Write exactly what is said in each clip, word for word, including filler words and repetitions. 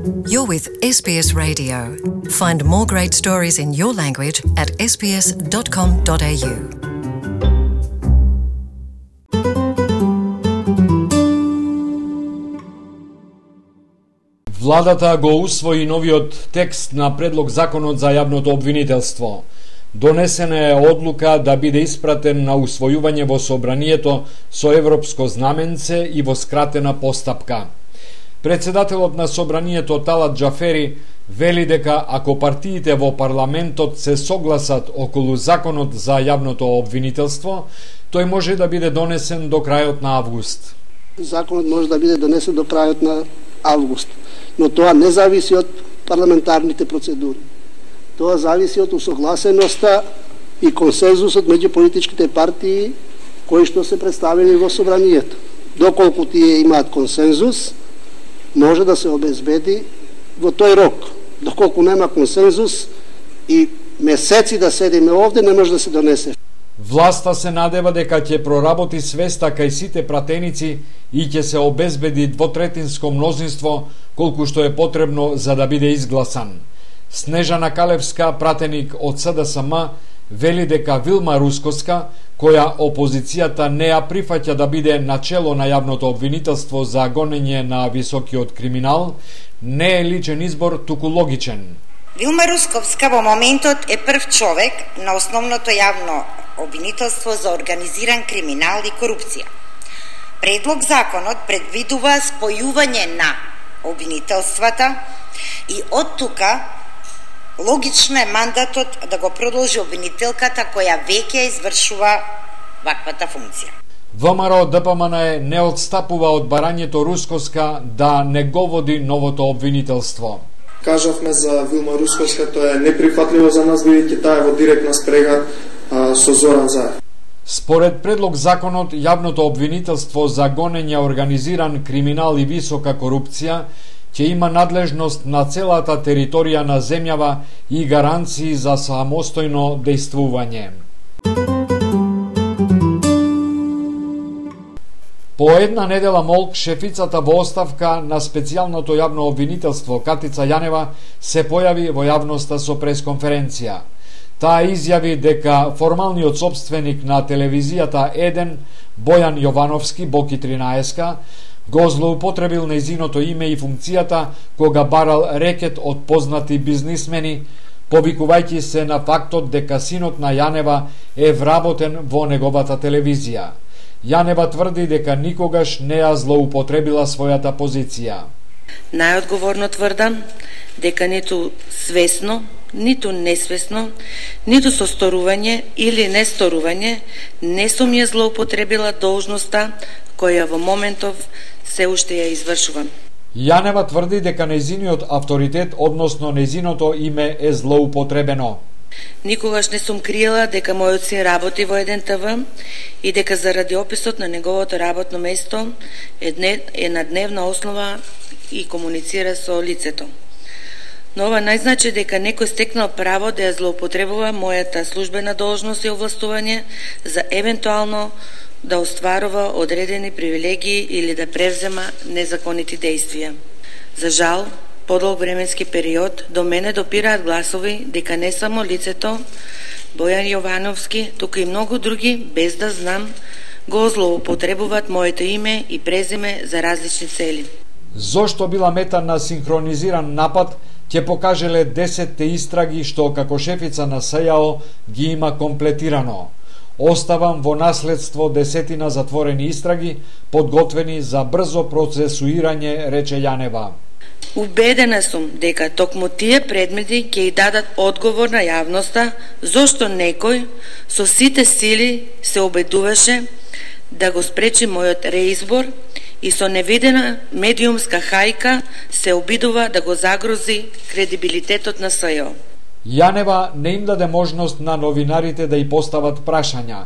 You're with S B S Radio. Find more great stories in your language at s b s dot com dot a u. Владата го усвои новиот текст на предлог законот за јавното обвинителство. Донесена е одлука да биде испратен на усвојување во собранието со европско знаменце и во скратена постапка. Председателот на собранието Талат Џафери вели дека ако партиите во парламентот се согласат околу законот за јавното обвинителство, тој може да биде донесен до крајот на август. Законот може да биде донесен до крајот на август, но тоа не зависи од парламентарните процедури. Тоа зависи од усогласеноста и консензусот меѓу политичките партии кои што се представени во собранието. Доколку тие имаат консензус, може да се обезбеди во тој рок. Доколку нема консензус и месеци да седиме овде, не може да се донесе. Власта се надева дека ќе проработи свеста кај сите пратеници и ќе се обезбеди двотретинско мнозинство колку што е потребно за да биде изгласан. Снежана Калевска, пратеник од С Д С М, вели дека Вилма Рускоска, која опозицијата не ја прифаќа да биде начело на јавното обвинителство за гонење на високиот криминал, не е личен избор, туку логичен. Вилма Русковска во моментот е прв човек на основното јавно обвинителство за организиран криминал и корупција. Предлог законот предвидува спојување на обвинителствата и од тука логично е мандатот да го продолжи обвинителката која веќе извршува ваквата функција. ВМРО Д П М Н не одстапува од барањето Рускоска да не го води новото обвинителство. Кажавме за Вилма Русковска, тоа е неприфатливо за нас, бидејќи таа е во директна спрега а, со Зоран Заев. Според предлог законот, јавното обвинителство за гонење организиран криминал и висока корупција ќе има надлежност на целата територија на земјава и гаранции за самостојно дејствување. По една недела молк, шефицата во оставка на специјалното јавно обвинителство Катица Јанева се појави во јавноста со пресконференција. Таа изјави дека формалниот собственик на телевизијата еден, Бојан Јовановски, Боки тринаесет, го злоупотребил нејзиното име и функцијата кога барал рекет од познати бизнисмени, повикувајќи се на фактот дека синот на Јанева е вработен во неговата телевизија. Јанева тврди дека никогаш не ја злоупотребила својата позиција. Најодговорно тврдам дека ниту свесно, ниту несвесно, ниту со сторување или несторување не сум ја злоупотребила должноста која во моментов се уште ја извршувам. Јанева тврди дека нејзиниот авторитет, односно нејзиното име е злоупотребено. Никогаш не сум криела дека мојот син работи во еден Т В и дека заради описот на неговото работно место е, дне, е на дневна основа и комуницира со лицето. Но ова не значи дека некој стекнал право да ја злоупотребува мојата службена должност и овластување за евентуално да остварува одредени привилегии или да превзема незаконити действија. За жал, подолг временски период до мене допираат гласови дека не само лицето Бојан Јовановски, туку и многу други, без да знам, го злоупотребуваат моето име и презиме за различни цели. Зошто била мета на синхронизиран напад, ќе покажеле десетте истраги што како шефица на С Ј О ги има комплетирано. Оставам во наследство десетина затворени истраги, подготвени за брзо процесуирање, рече Јанева. Убедена сум дека токму тие предмети ќе ја дадат одговор на јавноста зошто некој со сите сили се обидуваше да го спречи мојот реизбор и со невидена медиумска хајка се обидува да го загрози кредибилитетот на С Ј О. Јанева не им даде можност на новинарите да ја постават прашања.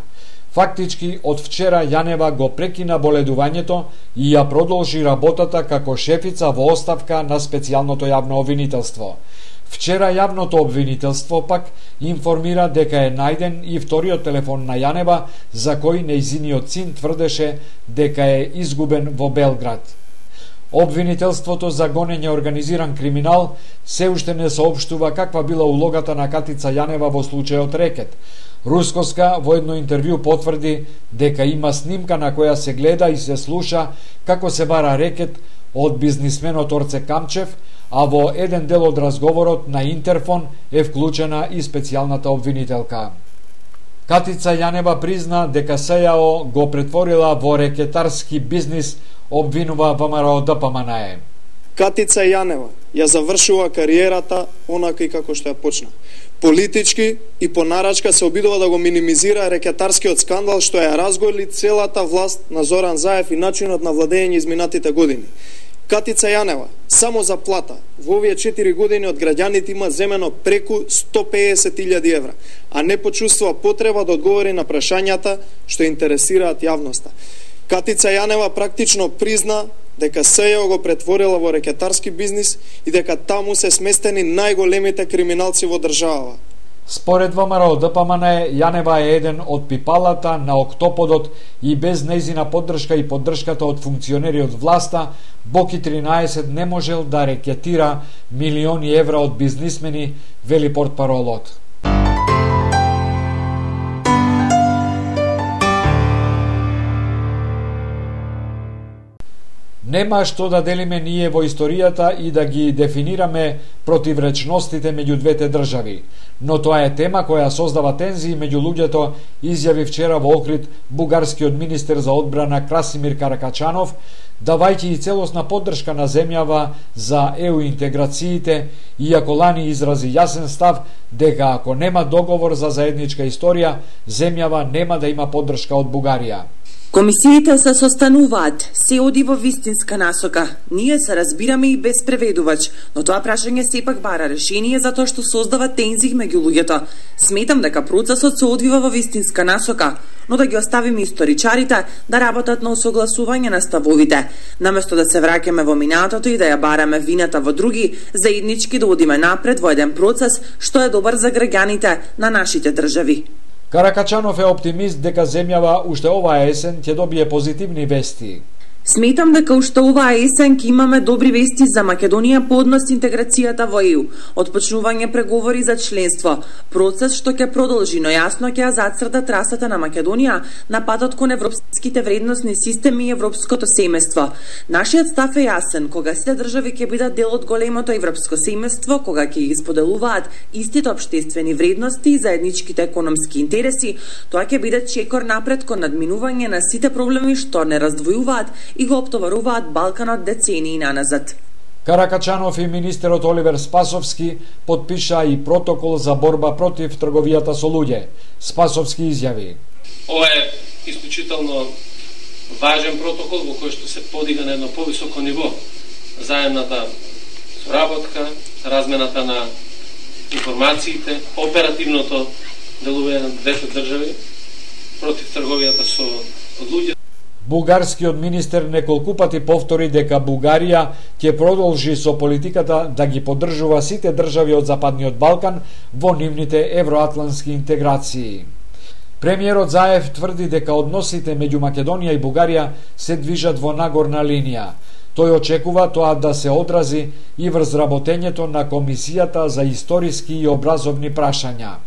Фактички, од вчера Јанева го прекина боледувањето и ја продолжи работата како шефица во оставка на специјалното јавно обвинителство. Вчера јавното обвинителство пак информира дека е најден и вториот телефон на Јанева, за кој нејзиниот син тврдеше дека е изгубен во Белград. Обвинителството за гонење организиран криминал се уште не соопштува каква била улогата на Катица Јанева во случајот Рекет. Рускоска во едно интервју потврди дека има снимка на која се гледа и се слуша како се бара рекет од бизнисменот Орце Камчев, а во еден дел од разговорот на интерфон е вклучена и специјалната обвинителка. Катица Јанева призна дека СЈО го претворила во рекетарски бизнис, обвинува ВМРО Д П М Н Е. Катица Јанева ја завршува кариерата онака и како што ја почна. Политички и по нарачка се обидува да го минимизира рекетарскиот скандал што ја разголи целата власт на Зоран Заев и начинот на владење изминатите години. Катица Јанева само за плата во овие четири години од граѓаните има земено преку сто песет илјади евра, а не почувствува потреба да одговори на прашањата што интересираат јавноста. Катица Јанева практично призна дека СЈО го претворила во рекетарски бизнис и дека таму се сместени најголемите криминалци во државава. Според ВМРО Д П М Н Е, Јанева е еден од пипалата на октоподот и без нејзина поддршка и поддршката од функционери од власта, Боки тринаесет не можел да рекетира милиони евра од бизнисмени, вели портпаролот. Нема што да делиме ние во историјата и да ги дефинираме противречностите меѓу двете држави, но тоа е тема која создава тензии меѓу луѓето, изјави вчера во Охрид бугарскиот министер за одбрана Красимир Каракачанов, давајќи и целосна поддршка на земјава за Е У интеграциите, иако лани изрази јасен став дека ако нема договор за заедничка историја, земјава нема да има поддршка од Бугарија. Комисиите се состануваат, се оди во вистинска насока. Ние се разбираме и без преведувач, но тоа прашање сепак бара решение затоа што создава тензии меѓу луѓето. Сметам дека процесот се одвива во вистинска насока, но да ги оставиме историчарите да работат на осогласување на ставовите, наместо да се враќаме во минатото и да ја бараме вината во други, заеднички да одиме напред во еден процес што е добар за граѓаните на нашите држави. Каракачанов е оптимист дека земјава уште оваа есен ќе добие позитивни вести. Сметам дека уште оваа есен ќе имаме добри вести за Македонија по однос интеграцијата во Е У, отпочнување преговори за членство, процес што ќе продолжи, но јасно ќе ја зацрта трасата на Македонија на патот кон европските вредносни системи и европското семејство. Нашиот став е јасен, кога сите држави ќе бидат дел од големото европско семејство, кога ќе ги споделуваат истите општествени вредности и заедничките економски интереси, тоа ќе биде чекор напред кон надминување на сите проблеми што не раздвојуваат и го оптоваруваат Балканот децении наназад. Каракачанов и министерот Оливер Спасовски подпиша и протокол за борба против трговијата со луѓе. Спасовски изјави: Ова е исклучително важен протокол во кој што се подига на едно повисоко ниво заедната соработка, размената на информациите, оперативното делување на двете држави против трговијата со луѓе. Бугарскиот министер неколку пати повтори дека Бугарија ќе продолжи со политиката да ги поддржува сите држави од Западниот Балкан во нивните евроатлантски интеграции. Премиерот Заев тврди дека односите меѓу Македонија и Бугарија се движат во нагорна линија. Тој очекува тоа да се одрази и врз работењето на Комисијата за историски и образовни прашања.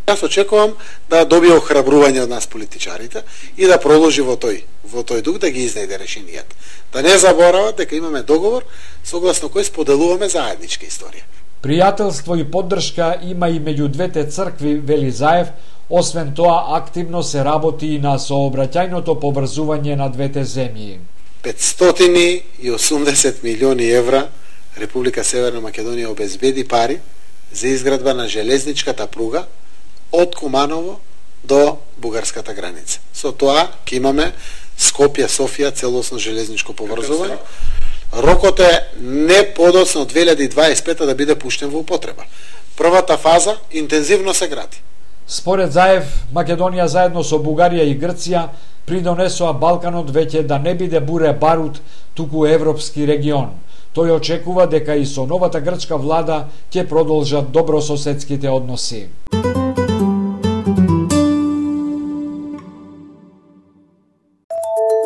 Јас очекувам да добие охрабрување од нас политичарите и да продолжи во тој во тој дух да ги изнајде решенијата. Да не заборават дека имаме договор согласно кој споделуваме заедничка историја. Пријателство и поддршка има и меѓу двете цркви, вели Заев. Освен тоа, активно се работи и на сообраќајното поврзување на двете земји. петстотини и осумдесет милиони евра Република Северна Македонија обезбеди пари за изградба на железничката пруга од Куманово до бугарската граница. Со тоа ќе имаме Скопје-Софија целосно железничко поврзување. Рокот е не подоцна од две илјади дваесет и пета да биде пуштен во употреба. Првата фаза интензивно се гради. Според Заев, Македонија заедно со Бугарија и Грција придонесоа Балканот веќе да не биде буре барут, туку европски регион. Тој очекува дека и со новата грчка влада ќе продолжат добрососедските односи.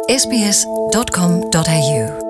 ес би ес dot com dot a u